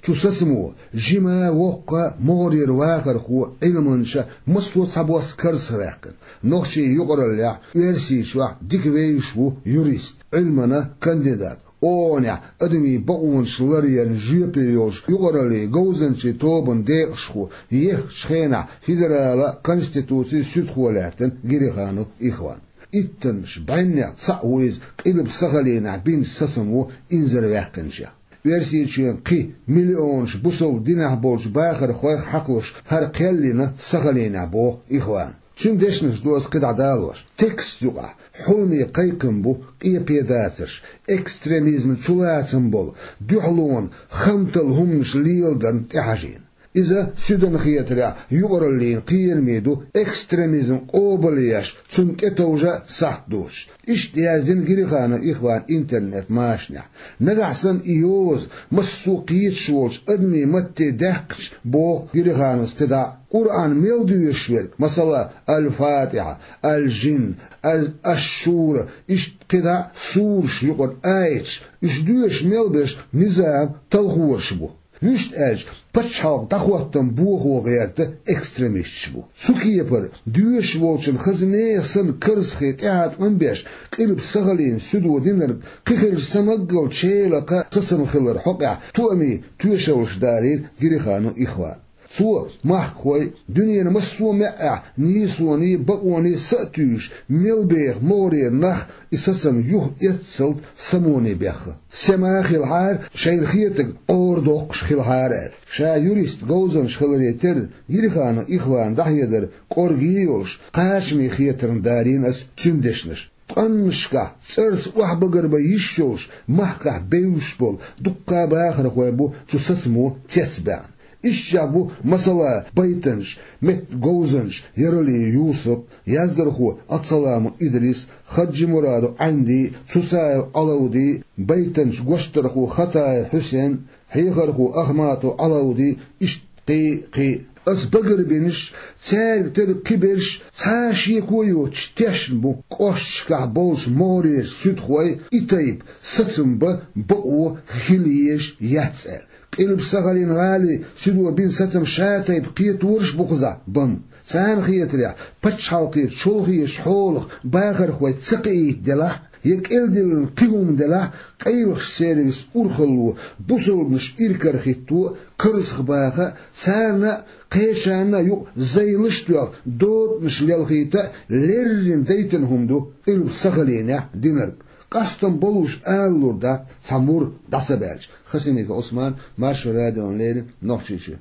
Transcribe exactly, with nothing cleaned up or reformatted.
Цу сацамо жима, воккха, могӀарера вахархо, Ӏилманча, массо а цхьабосса карзахваьккхина. Нохчийн юкъараллехь, Оьрсийчохь дика вевзаш ву юрист, Ӏилмана кандидат, ООН-ехь адамийн бакъонаш ларъярна жоьпе йолчу юкъараллин говзанчийн тобанан декъашхо, еххачу хенахь федералан конституцин суьдхо лаьттина Гириханов Ихван. Иттаннаш бӀеннех цхьаъ ву иза Къилба Сахалинехь бинчу сацамо инзарваьккхинчех. Оьрсийчоьнан кхин миллионаш бусалба динехь болчу бахархойх хьакхалуш хӀара кхел йина Сахалинехь, боху Ихвана. Цуьнан дешнаш ду аса кхидӀа далош. Текст юкъахь хьуламе кхайкхам бу къепе дацарш, экстремизман чулацам болу, дуьхьалонан, хамталла хӀуманаш леладарна тӀехьажийна. Иза, суьдан хетарехь, юкъараллин кхераме ду, экстремизм къобалъеш, цунна тӀетовжа а сахьт доцуш. Иштта яздина Гириханов Ихвана интернет-машанехь. Нагахь санна и йоза массо а кхеташ волчу адамийн матте даьккхича, боху Гирихановс кхидӀа, Къуръан мел доьшуш верг, масала, Аль-Фатихьа, Аль-Жин, Аль-Аш-Шура, иштта кхидӀа сураш, юкъара аяташ, уьш доьшуш мел берш низам талхораш бу. Вуьшта аьлча, пачхьалкх дӀахӀоттам бохо гӀерта экстремисташ бу. Цу кепара, доьшуш волчун хаза нехан санна карзахе тӀеӀаткъам беш, Къилба Сахалин суьдо динарг кхин хилча самаггал челакха сацам хилар хьокъехь тоамийн тоьшаллаш далийна Гириханов Ихвана. Цо махкахой, дуьненан массо а маьӀӀехь нийсоний, бакъоний са а туьйсуш, мел беха могӀарера нах и сацам юха эццалц самоне бехха. Сема хилахьара, шайна хетарг Ӏорадоккхуш хилахьара аьлла. Ша юрист, говзанча хиларе терра, Гириханов Ихвана дӀахьедар кӀорге а йолуш, кхачаме хетарна далийна аса цуьнан дешнаш. Ткъаннашкахь цӀарца охьабагарбан йиш йолуш, махкахь бевзаш болу дуккха а бахархой бу цу сацамо цецбаьхна. Ишттачех бу, масала, байтанча, меттан говзанча Яралиев Юсуп, яздархо Ацаламов Идрис, Хаджимурадов Ӏанди, Цуцаев Ӏалавди, байтанча, гочдархо Хатаев Хьусен, хьехархо Ахматов Ӏалавди, иштта кхин а, кхин а. Аса багарбинарш, цаьрга терра кхиберш цхьа а шеко а йоцуш тешна бу, кӀошташкахь болчу могӀарерчу суьдхой и тайпа сацам бан бакъо хила езаш яц аьлла. Къилба Сахалин гӀалин суьдо бина сацам ша тайпа кхетораш а бу кхузахь бан. Царна хетарехь, пачхьалкхера чолхечу хьолах бахархой ца кхиийта делахь, я кӀелдиллина кхин хӀума делахь, къайлахчу сервисан урхалло бусалбанаш иракарахӀитто а, карзахбаха а, царна а, кхечарна а юкъа зайлаш а тоьхна, догӀанаш лелхийта а леррина дайтина хӀума ду Къилба Сахалинехь динарг. Къастам болуш ала лур дац цхьа мур дӀа ца баьлча. Хасимиков Ӏусман, Маршо радиона леррина, Нохчийчоь.